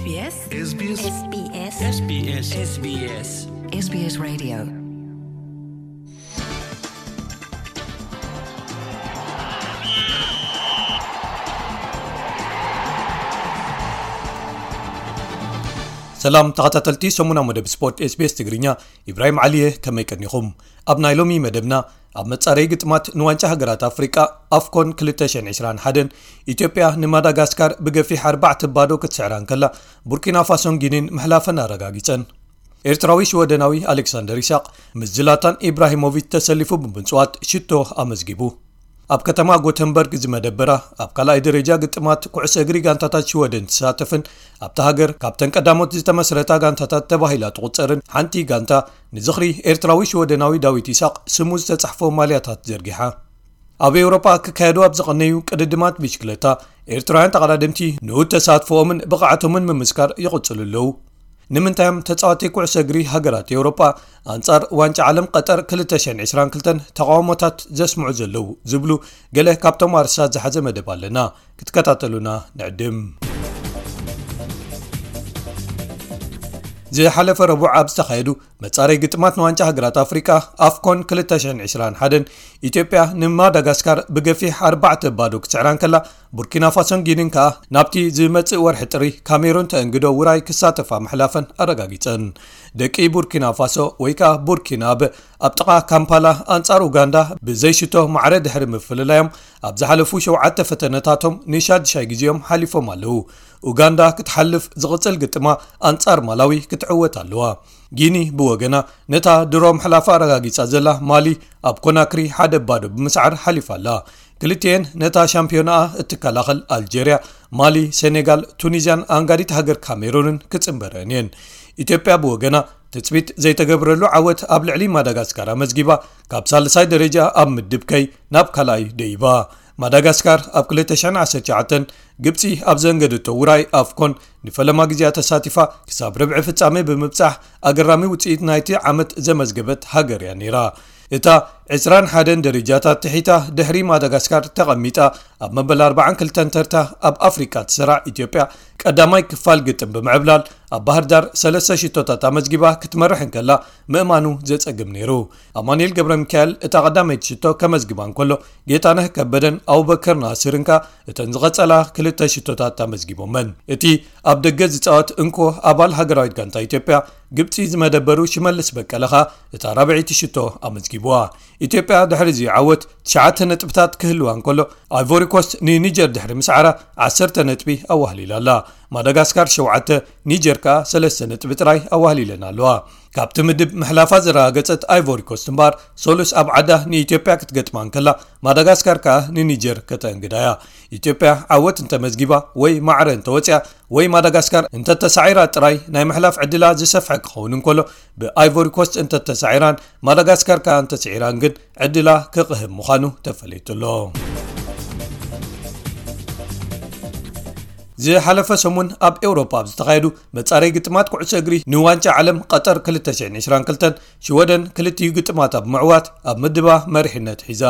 SBS SBS SBS SBS SBS SBS Radio. ሰላም ተኸታተልቲ ሰሙና መደብ ስፖርት SBS ትግርኛ፣ ኢብራሂም ዓሊየ፣ ከመይ ቀኒኹም? ኣብ ናይ ሎሚ መደብና፣ ኣብ መጻረይ ግጥማት ንዋንጫ ሃገራት ኣፍሪቃ ኣፍኮን ክልተ ሽሕን ዕስራን ሓደን፣ ኢትዮጵያ ንማዳጋስካር ብገፊሕ ኣርባዕተ ባዶ ክትስዕራ እንከላ፣ ቡርኪና ፋሶን ጊኒን ምሕላፈን ኣረጋጊጸን። ኤርትራዊ ሽወደናዊ ኣሌክሳንደር ይስሐቅ ምስ ዝላታን ኢብራሂሞቪች ተሰሊፉ ብምጽዋት ሽቶ ኣመዝጊቡ። ኣብ ከተማ ጎተንበርግ ዝመደበራ ኣብ ካልኣይ ደረጃ ግጥማት ኩዕሶ እግሪ ጋንታታት ሽወደን ትሳተፍን ኣብታ ሃገር ካብተን ቀዳሞት ዝተመስረታ ጋንታታት ተባሂላ ትቑጸርን ሓንቲ ጋንታ፣ ንዝኽሪ ኤርትራዊ ሽወደናዊ ዳዊት ይስሐቅ ስሙ ዝተጻሕፎ ማልያታት ዘርጊሓ። ኣብ ኤውሮጳ ክካየዱ ኣብ ዝቐነዩ ቅድድማት ብሽክለታ፣ ኤርትራውያን ተቐዳደምቲ ንኡድ ተሳትፎኦምን ብቕዓቶምን ምምስካር ይቕጽሉ ኣለዉ። ንምንታይ እዮም ተጻወቲ ኩዕሶ እግሪ ሃገራት ኤውሮጳ ኣንጻር ዋንጫ ዓለም ቀጠር ክልተ ሽሕን ዕስራን ክልተን ተቓውሞታት ዘስምዑ ዘለዉ ዝብሉ ገለ ካብቶም ኣርእስታት ዝሓዘ መደብ ኣለና። ክትከታተሉና ንዕድም። ዝሓለፈ ረቡዕ ኣብ ዝተኻየዱ መጻረይ ግጥማት ንዋንጫ ሃገራት ኣፍሪቃ ኣፍኮን ክልተ ሽሕን ዕስራን ሓደን፣ ኢትዮጵያ ንማዳጋስካር ብገፊሕ ኣርባዕተ ባዶ ክትስዕራ እንከላ፣ ቡርኪና ፋሶን ጊኒን ከኣ ናብቲ ዝመጽእ ወርሒ ጥሪ ካሜሩን ተእንግዶ ውራይ ክሳተፋ ምሕላፈን ኣረጋጊጸን። ደቂ ቡርኪና ፋሶ ወይ ከኣ ቡርኪናበ ኣብ ጥቓ ካምፓላ ኣንጻር ኡጋንዳ ብዘይሽቶ ማዕረ ድሕሪ ምፍልላዮም፣ ኣብ ዝሓለፉ ሸውዓተ ፈተነታቶም ንሻድሻይ ግዜኦም ሓሊፎም ኣለዉ። ኡጋንዳ ክትሓልፍ ዝቕጽል ግጥማ ኣንጻር ማላዊ ክትዕወት ኣለዋ። ጊኒ ብወገና ነታ ድሮ ምሕላፋ ኣረጋጊጻ ዘላ ማሊ ኣብ ኮናክሪ ሓደ ባዶ ብምስዓር ሓሊፋ ኣላ። ክልቲኤን ነታ ሻምፒዮናኣ እትከላኸል ኣልጀርያ፣ ማሊ፣ ሴኔጋል፣ ቱኒዝያን ኣንጋዲት ሃገር ካሜሩንን ክጽንበረን እየን። ኢትዮጵያ ብወገና ትጽቢት ዘይተገብረሉ ዓወት ኣብ ልዕሊ ማዳጋስካር ኣመዝጊባ፣ ካብ ሳልሳይ ደረጃ ኣብ ምድብ ከይ ናብ ካልኣይ ደይባ። ማዳጋስካር ኣብ ክልተ ሽሕን ዓሰርተ ትሽዓተን ግብጺ ኣብ ዘንገደቶ ውራይ ኣፍኮን ንፈለማ ግዜኣ ተሳቲፋ፣ ክሳብ ርብዒ ፍጻሜ ብምብጻሕ ኣገራሚ ውጽኢት ናይቲ ዓመት ዘመዝገበት ሃገር እያ ነይራ። እታ ዕስራን ሓደን ደረጃታት ትሒታ ድሕሪ ማዳጋስካር ተቐሚጣ፣ ኣብ መበል ኣርባዓን ክልተን ተርታ ኣብ ኣፍሪቃ ትስራዕ ኢትዮጵያ፣ ቀዳማይ ክፋል ግጥም ብምዕብላል ኣብ ባህር ዳር ሰለስተ ሽቶታት ኣመዝጊባ ክትመርሕ እንከላ፣ ምእማኑ ዘጸግም ነይሩ። ኣማኑኤል ገብረ ሚካኤል እታ ቀዳመይቲ ሽቶ ከመዝግባ እንከሎ፣ ጌታነህ ከበደን ኣቡበከር ናስርን ከኣ እተን ዝቐጸላ ክልተ ሽቶታት ኣመዝጊቦመን። እቲ ኣብ ደገ ዝጻወት እንኮ ኣባል ሃገራዊት ጋንታ ኢትዮጵያ፣ ግብጺ ዝመደበሩ ሽመልስ በቀለ ከኣ እታ ራብዐይቲ ሽቶ ኣመዝጊብዋ። ኢትዮጵያ ድሕሪ እዚ ዓወት ትሽዓተ ነጥብታት ክህልዋ እንከሎ፣ ኣይቮሪ ኮስት ንኒጀር ድሕሪ ምስዓራ ዓሰርተ ነጥቢ ኣዋህሊላ ኣላ። ማዳጋስካር ሸውዓተ፣ ኒጀር ከኣ ሰለስተ ነጥቢ ጥራይ ኣዋህሊለን ኣለዋ። ካብቲ ምድብ ምሕላፋ ዘረጋገጸት ኣይቮሪ ኮስት እምበኣር፣ ሰሉስ ኣብ ዓዳ ንኢትዮጵያ ክትገጥማ እንከላ፣ ማዳጋስካር ከኣ ንኒጀር ከተእንግዳ እያ። ኢትዮጵያ ዓወት እንተመዝጊባ ወይ ማዕረ እንተወጽያ ወይ ማዳጋስካር እንተተሳዒራ ጥራይ ናይ ምሕላፍ ዕድላ ዝሰፍሐ ክኸውን እንከሎ፣ ብኣይቮሪ ኮስት እንተተሳዒራን ማዳጋስካር ከኣ እንተስዒራን ግን ዕድላ ክቕህም ምዃኑ ተፈሊጡ ኣሎ። ዝሓለፈ ሰሙን ኣብ ኤውሮፓ ኣብ ዝተኻየዱ መጻረይ ግጥማት ኩዕሶ እግሪ ንዋንጫ ዓለም ቀጠር ክልተ ሽሕን ዕስራን ክልተን፣ ሽወደን ክልቲኡ ግጥማታ ብምዕዋት ኣብ ምድባ መሪሕነት ሒዛ።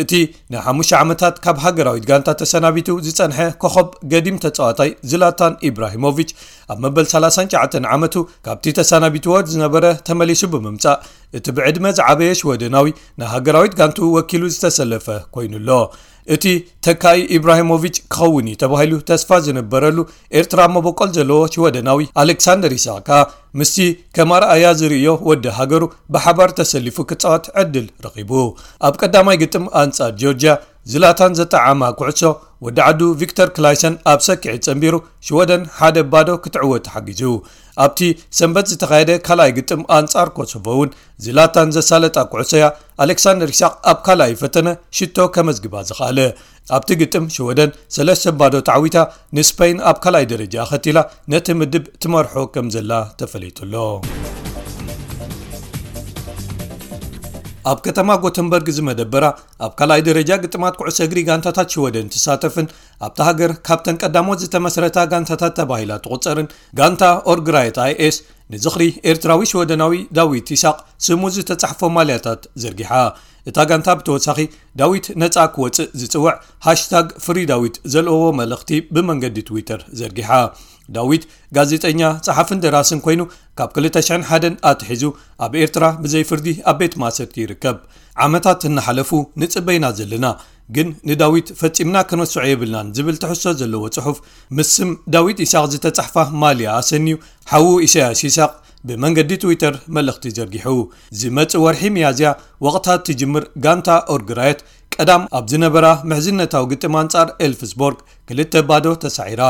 እቲ ንሓሙሽተ ዓመታት ካብ ሃገራዊት ጋንታ ተሰናቢቱ ዝጸንሐ ኮኸብ ገዲም ተጻዋታይ ዝላታን ኢብራሂሞቪች፣ ኣብ መበል ሰላሳን ትሽዓተን ዓመቱ ካብቲ ተሰናቢትዎ ዝነበረ ተመሊሱ ብምምጻእ፣ እቲ ብዕድመ ዝዓበየ ሽወደናዊ ንሃገራዊት ጋንቱ ወኪሉ ዝተሰለፈ ኮይኑ ኣሎ። እቲ ተካኢ ኢብራሂሞቪች ክኸውን እዩ ተባሂሉ ተስፋ ዝነበረሉ ኤርትራ መበቆል ዘለዎ ሽወደናዊ ኣሌክሳንደር ኢሳቅ ከኣ ምስቲ ከም ኣርኣያ ዝርእዮ ወዲ ሃገሩ ብሓባር ተሰሊፉ ክጻወት ዕድል ረኺቡ። ኣብ ቀዳማይ ግጥም ኣንጻር ጆርጅያ፣ ዝላታን ዘጠዓማ ኩዕሶ ወዲ ዓዱ ቪክተር ክላይሰን ኣብ ሰኪዒት ጸንቢሩ ሽወደን ሓደ ባዶ ክትዕወት ሓጊዙ። ኣብቲ ሰንበት ዝተኻየደ ካልኣይ ግጥም ኣንጻር ኮሶቮ እውን ዝላታን ዘሳለጣ ኩዕሶ እያ ኣሌክሳንደር ኢሳቅ ኣብ ካልኣይ ፈተነ ሽቶ ከመዝግባ ዝኸኣለ። ኣብቲ ግጥም ሽወደን ሰለስተ ባዶ ተዓዊታ ንስፐይን ኣብ ካልኣይ ደረጃ ከቲላ ነቲ ምድብ ትመርሖ ከም ዘላ ተፈሊጡ ኣሎ። ኣብ ከተማ ጎተንበርግ ዝመደበራ ኣብ ካልኣይ ደረጃ ግጥማት ኩዕሶ እግሪ ጋንታታት ሽወደን ትሳተፍን ኣብታ ሃገር ካብተን ቀዳሞት ዝተመስረታ ጋንታታት ተባሂላ ትቑጸርን ጋንታ ኦርግራየት ኣይኤስ ንዝኽሪ ኤርትራዊ ሽወደናዊ ዳዊት ይስሐቅ ስሙ ዝተጻሕፎ ማልያታት ዘርጊሓ። እታ ጋንታ ብተወሳኺ ዳዊት ነጻ ክወጽእ ዝጽውዕ ሃሽታግ ፍሪ ዳዊት ዘልእዎ መልእኽቲ ብመንገዲ ትዊተር ዘርጊሓ። ዳዊት ጋዜጠኛ፣ ጸሓፍን ደራስን ኮይኑ ካብ ክልተ ሽሕን ሓደን ኣትሒዙ ኣብ ኤርትራ ብዘይ ፍርዲ ኣብ ቤት ማእሰርቲ ይርከብ። ዓመታት እናሓለፉ ንጽበይና ዘለና፣ ግን ንዳዊት ፈጺምና ክንረስዖ የብልናን ዝብል ትሕዝቶ ዘለዎ ጽሑፍ፣ ምስ ስም ዳዊት ኢሳቕ ዝተጻሕፋ ማልያ ኣሰንዩ፣ ሓዉ ኢሳያስ ኢሳቕ ብመንገዲ ትዊተር መልእኽቲ ዘርጊሑ። ዝመጽእ ወርሒ ሚያዝያ፣ ወቕታ ትጅምር ጋንታ ኦርግራየት ቀዳም ኣብ ዝነበራ ምሕዝነታዊ ግጥም ኣንጻር ኤልፍስቦርግ ክልተ ባዶ ተሳዒራ።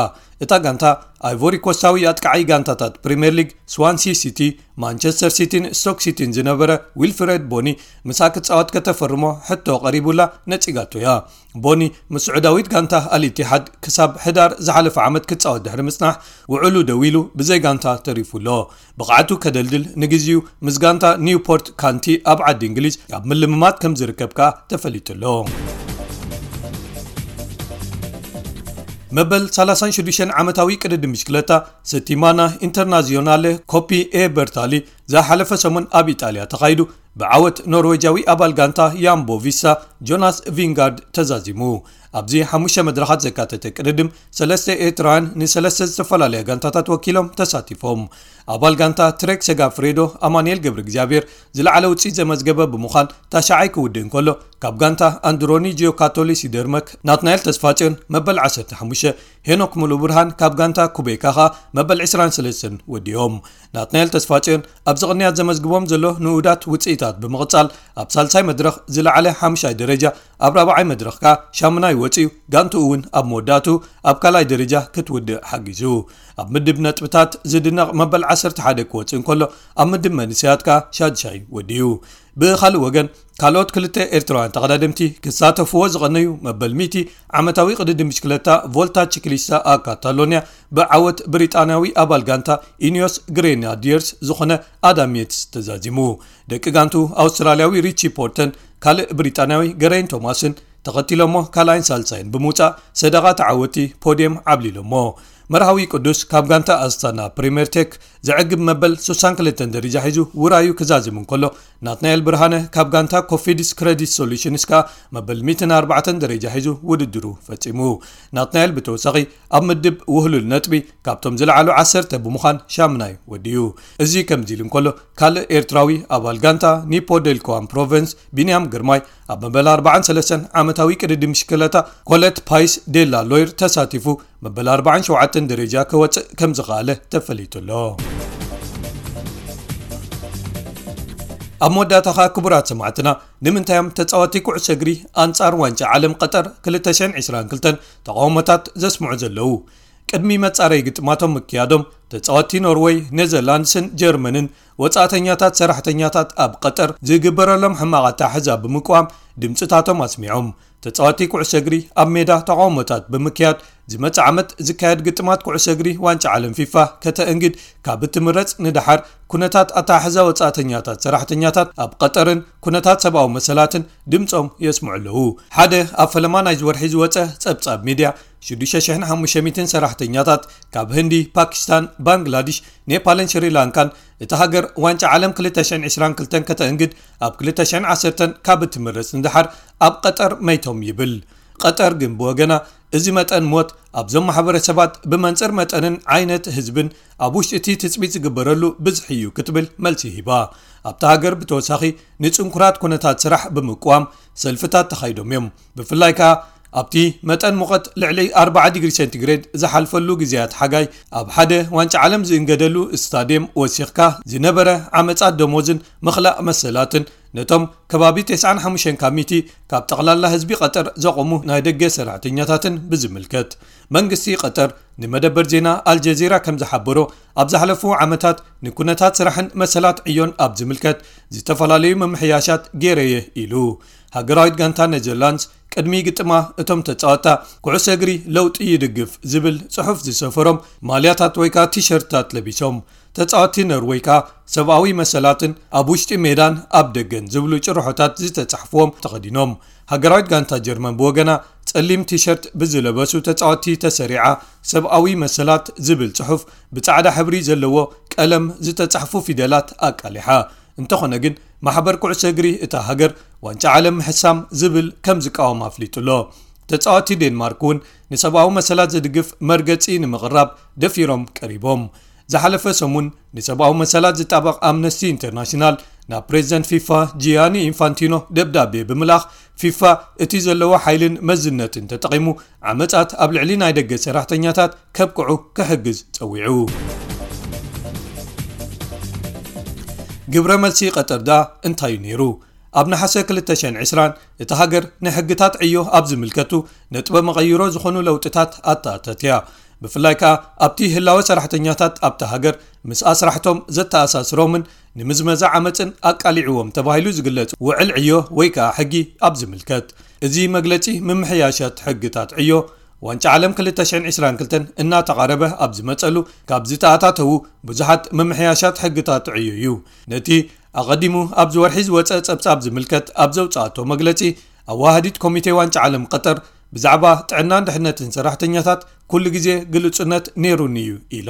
እታ ጋንታ፣ ኣይቮሪ ኮስታዊ ኣጥቃዓይ ጋንታታት ፕሪምየር ሊግ ስዋንሲ ሲቲ፣ ማንቸስተር ሲቲን ስቶክ ሲቲን ዝነበረ ዊልፍሬድ ቦኒ፣ ምሳ ክትጻወት ከተፈርሞ ሕቶ ቀሪቡላ ነጺጋቶ እያ። ቦኒ ምስ ስዑዳዊት ጋንታ ኣልኢቲሓድ ክሳብ ሕዳር ዝሓለፈ ዓመት ክጻወት ድሕሪ ምጽናሕ፣ ውዕሉ ደው ኢሉ ብዘይ ጋንታ ተሪፉ ኣሎ። ብቕዓቱ ከደልድል ንግዜኡ ምስ ጋንታ ኒውፖርት ካንቲ ኣብ ዓዲ እንግሊዝ ኣብ ምልምማድ ከም ዝርከብ ከኣ ተፈሊጡ ኣሎ። መበል ሰላሳን ሽዱሽተን ዓመታዊ ቅድድም ብሽክለታ ሰቲማና ኢንተርናዚዮናለ ኮፒ ኤ በርታሊ ዝሓለፈ ሰሙን ኣብ ኢጣልያ ተኻይዱ፣ ብዓወት ኖርዌጃዊ ኣባል ጋንታ ያምቦ ቪስታ ጆናስ ቪንጋርድ ተዛዚሙ። ኣብዚ ሓሙሽተ መድረኻት ዘካተተ ቅድድም፣ ሰለስተ ኤርትራውያን ንሰለስተ ዝተፈላለያ ጋንታታት ወኪሎም ተሳቲፎም። ኣባል ጋንታ ትሬክ ሰጋፍሬዶ ኣማኑኤል ገብረ እግዚኣብሔር ዝለዓለ ውፅኢት ዘመዝገበ ብምዃን ታሽዓይ ክውድእ እንከሎ፣ ካብ ጋንታ ኣንድሮኒ ጂዮካቶሊ ሲደርመክ ናትናኤል ተስፋጽዮን መበል ዓሰርተ ሓሙሽተ፣ ሄኖክ ሙሉ ብርሃን ካብ ጋንታ ኩቤካ ኸኣ መበል ዕስራን ሰለስተን ወዲኦም። ናትናኤል ተስፋጽዮን ኣብዚ ቅንያት ዘመዝግቦም ዘሎ ንኡዳት ውጽኢታት ብምቕጻል፣ ኣብ ሳልሳይ መድረኽ ዝለዓለ ሓምሻይ ደረጃ፣ ኣብ ራብዓይ መድረኽ ከኣ ሻምናይ ወጺኡ፣ ጋንትኡ እውን ኣብ መወዳእቱ ኣብ ካልኣይ ደረጃ ክትውድእ ሓጊዙ። ኣብ ምድብ ነጥብታት ዝድነቕ መበል ዓሰርተ ሓደ ክወጽእ እንከሎ፣ ኣብ ምድብ መንእሰያት ከኣ ሻድሻይ ወዲኡ። ብኻልእ ወገን፣ ካልኦት ክልተ ኤርትራውያን ተቐዳደምቲ ክሳተፍዎ ዝቐነዩ መበል ሚእቲ ዓመታዊ ቅድድም ብሽክለታ ቮልታ ቺክሊስታ ኣብ ካታሎንያ ብዓወት ብሪጣንያዊ ኣባል ጋንታ ኢኒዮስ ግሬናዲየርስ ዝኾነ ኣዳም ዬትስ ተዛዚሙ። ደቂ ጋንቱ ኣውስትራልያዊ ሪቺ ፖርተን ካልእ ብሪጣንያዊ ገረይን ቶማስን ተኸቲሎሞ ካልኣይን ሳልሳይን ብምውጻእ ሰደቓ ተዓወቲ ፖድየም ዓብሊሎሞ። መርሃዊ ቅዱስ ካብ ጋንታ ኣስታና ፕሪምየር ቴክ ዘዕግብ መበል ሱሳን ክልተን ደረጃ ሒዙ ውራዩ ክዛዝም እንከሎ፣ ናትናኤል ብርሃነ ካብ ጋንታ ኮፊድስ ክረዲት ሶሉሽንስ ከኣ መበል ሚእትን ኣርባዕተን ደረጃ ሒዙ ውድድሩ ፈጺሙ። ናትናኤል ብተወሳኺ ኣብ ምድብ ውህሉል ነጥቢ ካብቶም ዝለዓሉ ዓሰርተ ብምዃን ሻምናይ ወዲኡ። እዚ ከምዚ ኢሉ እንከሎ፣ ካልእ ኤርትራዊ ኣባል ጋንታ ኒፖ ዴልኮዋን ፕሮቨንስ ቢንያም ግርማይ ኣብ መበል ኣርባዓን ሰለስተን ዓመታዊ ቅድድም ብሽክለታ ኮለት ፓይስ ዴላ ሎይር ተሳቲፉ መበል ኣርባዓን ሸውዓተን ደረጃ ክወጽእ ከም ዝኸኣለ ተፈሊጡ ኣሎ። ኣብ መወዳእታ ኸኣ ክቡራት ሰማዕትና፣ ንምንታይ እዮም ተጻወቲ ኩዕሶ እግሪ ኣንጻር ዋንጫ ዓለም ቀጠር ክልተ ሽሕን ዕስራን ክልተን ተቓውሞታት ዘስምዑ ዘለዉ? ቅድሚ መጻረይ ግጥማቶም ምክያዶም፣ ተጻወቲ ኖርወይ፣ ኔዘርላንድስን ጀርመንን ወጻእተኛታት ሰራሕተኛታት ኣብ ቀጠር ዝግበረሎም ሕማቕ ኣተሓሕዛ ብምቅዋም ድምጽታቶም ኣስሚዖም። ተጻወቲ ኩዕሶ እግሪ ኣብ ሜዳ ተቓውሞታት ብምክያድ፣ ዝመጽእ ዓመት ዝካየድ ግጥማት ኩዕሶ እግሪ ዋንጫ ዓለም ፊፋ ከተእንግድ ካብ እትምረጽ ንደሓር፣ ኩነታት ኣተሓሕዛ ወጻእተኛታት ሰራሕተኛታት ኣብ ቀጠርን ኩነታት ሰብኣዊ መሰላትን ድምጾም የስምዑ ኣለዉ። ሓደ ኣብ ፈለማ ናይዚ ወርሒ ዝወጸ ጸብጻብ ሚድያ፣ ሽዱሽተ ሽሕን ሓሙሽተ ሚእትን ሰራሕተኛታት ካብ ህንዲ፣ ፓኪስታን፣ ባንግላዲሽ፣ ኔፓልን ሽሪላንካን፣ እታ ሃገር ዋንጫ ዓለም ክልተ ሽሕን ዕስራን ክልተን ከተእንግድ ኣብ ክልተ ሽሕን ዓሰርተን ካብ እትምረጽ ንደሓር ኣብ ቀጠር መይቶም ይብል። ቀጠር ግን ብወገና፣ እዚ መጠን ሞት ኣብዞም ማሕበረሰባት ብመንጽር መጠንን ዓይነት ህዝብን ኣብ ውሽጢ እቲ ትጽቢት ዝግበረሉ ብዝሒ እዩ ክትብል መልሲ ሂባ። ኣብታ ሃገር ብተወሳኺ ንጽንኩራት ኩነታት ስራሕ ብምቅዋም ሰልፍታት ተኻይዶም እዮም። ብፍላይ ከኣ ኣብቲ መጠን ሙቐት ልዕሊ ኣርባዓ ዲግሪ ሴንቲግሬድ ዝሓልፈሉ ግዜያት ሓጋይ፣ ኣብ ሓደ ዋንጫ ዓለም ዝእንገደሉ ስታድየም ወሲኽካ ዝነበረ ዓመጻት ደሞዝን ምኽላእ መሰላትን ነቶም ከባቢ ተስዓን ሓሙሽተን ካብ ሚእቲ ካብ ጠቕላላ ህዝቢ ቀጠር ዘቖሙ ናይ ደገ ሰራሕተኛታትን ብዝምልከት፣ መንግስቲ ቀጠር ንመደበር ዜና ኣልጀዚራ ከም ዝሓበሮ፣ ኣብ ዝሓለፉ ዓመታት ንኩነታት ስራሕን መሰላት ዕዮን ኣብ ዝምልከት ዝተፈላለዩ ምምሕያሻት ገይረየ ኢሉ። ሃገራዊት ጋንታ ኔዘርላንድስ ቅድሚ ግጥማ እቶም ተጻወታ ኩዕሶ እግሪ ለውጢ ይድግፍ ዝብል ጽሑፍ ዝሰፈሮም ማልያታት ወይ ከኣ ቲሸርትታት ለቢሶም፣ ተጻወቲ ኖርወይ ከኣ ሰብኣዊ መሰላትን ኣብ ውሽጢ ሜዳን ኣብ ደገን ዝብሉ ጭርሖታት ዝተጻሕፍዎም ተኸዲኖም። ሃገራዊት ጋንታ ጀርመን ብወገና ጸሊም ቲሸርት ብዝለበሱ ተጻወቲ ተሰሪዓ፣ ሰብኣዊ መሰላት ዝብል ጽሑፍ ብጻዕዳ ሕብሪ ዘለዎ ቀለም ዝተጻሕፉ ፊደላት ኣቃሊሓ። እንተኾነ ግን፣ ማሕበር ኩዕሶ እግሪ እታ ሃገር ዋንጫ ዓለም ምሕሳም ዝብል ከም ዝቃወም ኣፍሊጡ ኣሎ። ተጻዋቲ ዴንማርክ እውን ንሰብኣዊ መሰላት ዝድግፍ መርገጺ ንምቕራብ ደፊሮም ቀሪቦም። ዝሓለፈ ሰሙን ንሰብኣዊ መሰላት ዝጣበቕ ኣምነስቲ ኢንተርናሽናል ናብ ፕሬዚደንት ፊፋ ጂያኒ ኢንፋንቲኖ ደብዳቤ ብምልኣኽ፣ ፊፋ እቲ ዘለዎ ሓይልን መዝነትን ተጠቒሙ ዓመጻት ኣብ ልዕሊ ናይ ደገ ሰራሕተኛታት ከብቅዑ ክሕግዝ ጸዊዑ። ግብረ መልሲ ቀጠር ደኣ እንታይ እዩ ነይሩ? ኣብ ነሓሰ ክልተ ሽሕን ዕስራን እታ ሃገር ንሕግታት ዕዮ ኣብ ዝምልከቱ ነጥበ መቐይሮ ዝኾኑ ለውጥታት ኣተኣተት እያ። ብፍላይ ከኣ ኣብቲ ህላወ ሰራሕተኛታት ኣብታ ሃገር ምስ ኣስራሕቶም ዘተኣሳስሮምን ንምዝመዛ ዓመጽን ኣቃሊዕዎም ተባሂሉ ዝግለጽ ውዕል ዕዮ ወይ ከኣ ሕጊ ኣብ ዝምልከት። እዚ መግለጺ ምምሕያሻት ሕግታት ዕዮ ዋንጫ ዓለም ክልተ ሽሕን ዕስራን ክልተን እናተቓረበ ኣብ ዝመጸሉ፣ ካብ ዝተኣታተዉ ብዙሓት ምምሕያሻት ሕግታት ዕዮ እዩ። ነቲ ኣቐዲሙ ኣብዚ ወርሒ ዝወጸ ጸብጻብ ዝምልከት ኣብ ዘውጽኣቶ መግለጺ፣ ኣዋሃዲት ኮሚቴ ዋንጫ ዓለም ቀጠር ብዛዕባ ጥዕናን ድሕነትን ሰራሕተኛታት ኩሉ ግዜ ግሉጽነት ነይሩኒ እዩ ኢላ።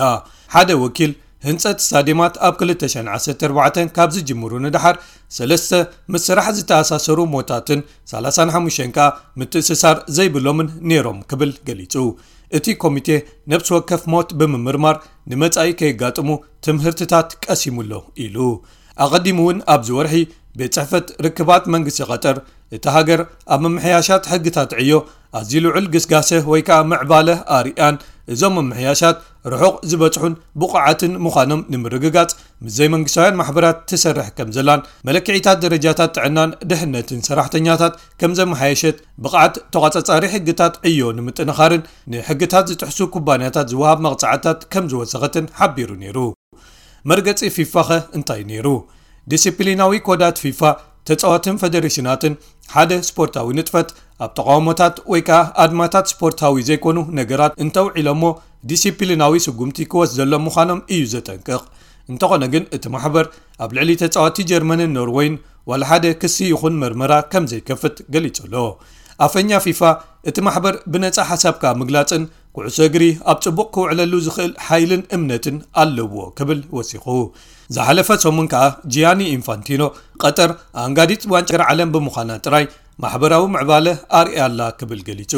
ሓደ ወኪል፣ ህንጸት ስታድየማት ኣብ ክልተ ሽሕን ዓሰርተ ኣርባዕተን ካብ ዝጅምሩ ንደሓር፣ ሰለስተ ምስ ስራሕ ዝተኣሳሰሩ ሞታትን ሰላሳን ሓሙሽተን ከኣ ምትእስሳር ዘይብሎምን ነይሮም ክብል ገሊጹ። እቲ ኮሚቴ ነብሲ ወከፍ ሞት ብምምርማር ንመጻኢ ከየጋጥሙ ትምህርትታት ቀሲሙ ኣሎ ኢሉ። ኣቐዲሙ እውን ኣብዚ ወርሒ ቤት ጽሕፈት ርክባት መንግስቲ ቀጠር እታ ሃገር ኣብ ምምሕያሻት ሕግታት ዕዮ ኣዝዩ ልዑል ግስጋሰ ወይ ከኣ ምዕባለ ኣርእያን፣ እዞም ምምሕያሻት ርሑቕ ዝበጽሑን ብቑዓትን ምዃኖም ንምርግጋጽ ምስ ዘይመንግስታውያን ማሕበራት ትሰርሕ ከም ዘላን መለክዒታት ደረጃታት ጥዕናን ድሕነትን ሰራሕተኛታት ከም ዘመሓየሸት፣ ብቕዓት ተቋጻጻሪ ሕግታት ዕዮ ንምጥንኻርን ንሕግታት ዝጥሕሱ ኩባንያታት ዝወሃብ መቕጻዕትታት ከም ዝወሰኸትን ሓቢሩ ነይሩ። መርገጺ ፊፋኸ እንታይ ነይሩ? ዲሲፕሊናዊ ኮዳት ፊፋ ተጻዋትን ፈደሬሽናትን ሓደ ስፖርታዊ ንጥፈት ኣብ ተቓውሞታት ወይ ከኣ ኣድማታት ስፖርታዊ ዘይኮኑ ነገራት እንተውዒሎሞ ዲሲፕሊናዊ ስጉምቲ ክወስደሎም ምዃኖም እዩ ዘጠንቅቕ። እንተኾነ ግን እቲ ማሕበር ኣብ ልዕሊ ተጻዋቲ ጀርመንን ኖርወይን ዋላ ሓደ ክሲ ይኹን መርመራ ከም ዘይከፍት ገሊጹ ኣሎ። ኣፈኛ ፊፋ እቲ ማሕበር ብነጻ ሓሳብካ ምግላጽን ኩዕሶ እግሪ ኣብ ጽቡቕ ክውዕለሉ ዝኽእል ሓይልን እምነትን ኣለዎ ክብል ወሲኹ። ዝሓለፈ ሰሙን ከኣ ጂያኒ ኢንፋንቲኖ ቀጠር ኣንጋዲት ዋንጫ ዓለም ብምዃና ጥራይ ማሕበራዊ ምዕባለ ኣርእያ ኣላ ክብል ገሊጹ።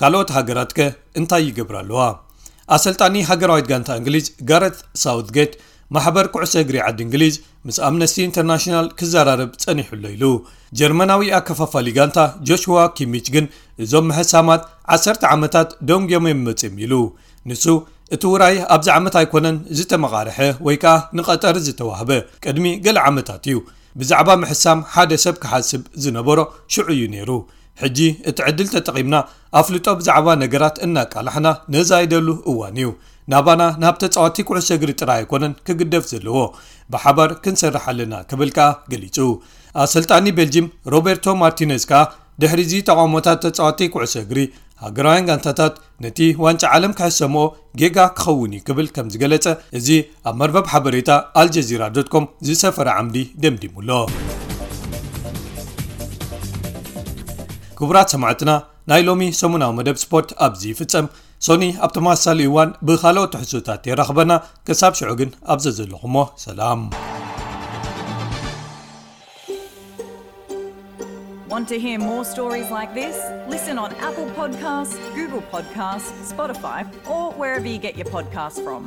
ካልኦት ሃገራትከ እንታይ ይገብራ ኣለዋ? ኣሰልጣኒ ሃገራዊት ጋንታ እንግሊዝ ጋረት ሳውትጌት ማሕበር ኩዕሶ እግሪ ዓዲ እንግሊዝ ምስ ኣምነስቲ ኢንተርናሽናል ክዘራረብ ጸኒሑ ኣሎ ኢሉ። ጀርመናዊ ኣከፋፋሊ ጋንታ ጆሽዋ ኪሚች ግን እዞም ምሕሳማት ዓሰርተ ዓመታት ደንጎም እዮም መጽዮም ኢሉ። ንሱ እቲ ውራይ ኣብዚ ዓመት ኣይኮነን ዝተመቓርሐ ወይ ከኣ ንቐጠር ዝተዋህበ፣ ቅድሚ ገለ ዓመታት እዩ። ብዛዕባ ምሕሳም ሓደ ሰብ ክሓስብ ዝነበሮ ሽዑ እዩ ነይሩ። ሕጂ እቲ ዕድል ተጠቒምና ኣፍልጦ ብዛዕባ ነገራት እናቃላሕና ነዛይደሉ እዋን እዩ። ናባና ናብ ተጻወቲ ኩዕሶ እግሪ ጥራይ ኣይኮነን ክግደፍ ዘለዎ፣ ብሓባር ክንሰርሕ ኣለና ክብል ከኣ ገሊጹ። ኣሰልጣኒ ቤልጂም ሮቤርቶ ማርቲነዝ ከኣ ድሕሪ እዚ ተቓውሞታት ተጻወቲ ኩዕሶ እግሪ ሃገራውያን ጋንታታት ነቲ ዋንጫ ዓለም ክሕሰምኦ ጌጋ ክኸውን እዩ ክብል ከም ዝገለጸ እዚ ኣብ መርበብ ሓበሬታ ኣልጀዚራ ዶት ኮም ዝሰፈረ ዓምዲ ደምዲሙ ኣሎ። ክቡራት ሰማዕትና፣ ናይ ሎሚ ሰሙናዊ መደብ ስፖርት ኣብዚ ይፍጸም። ሶኒ ኣብ ተመሳሳሊ እዋን ብኻልኦት ትሕዝቶታት የራኽበና። ክሳብ ሽዑ ግን ኣብ ዘዘለኹሞ ሰላም። Want to hear more stories like this? Listen on Apple Podcasts, Google Podcasts, Spotify, or wherever you get your podcasts from.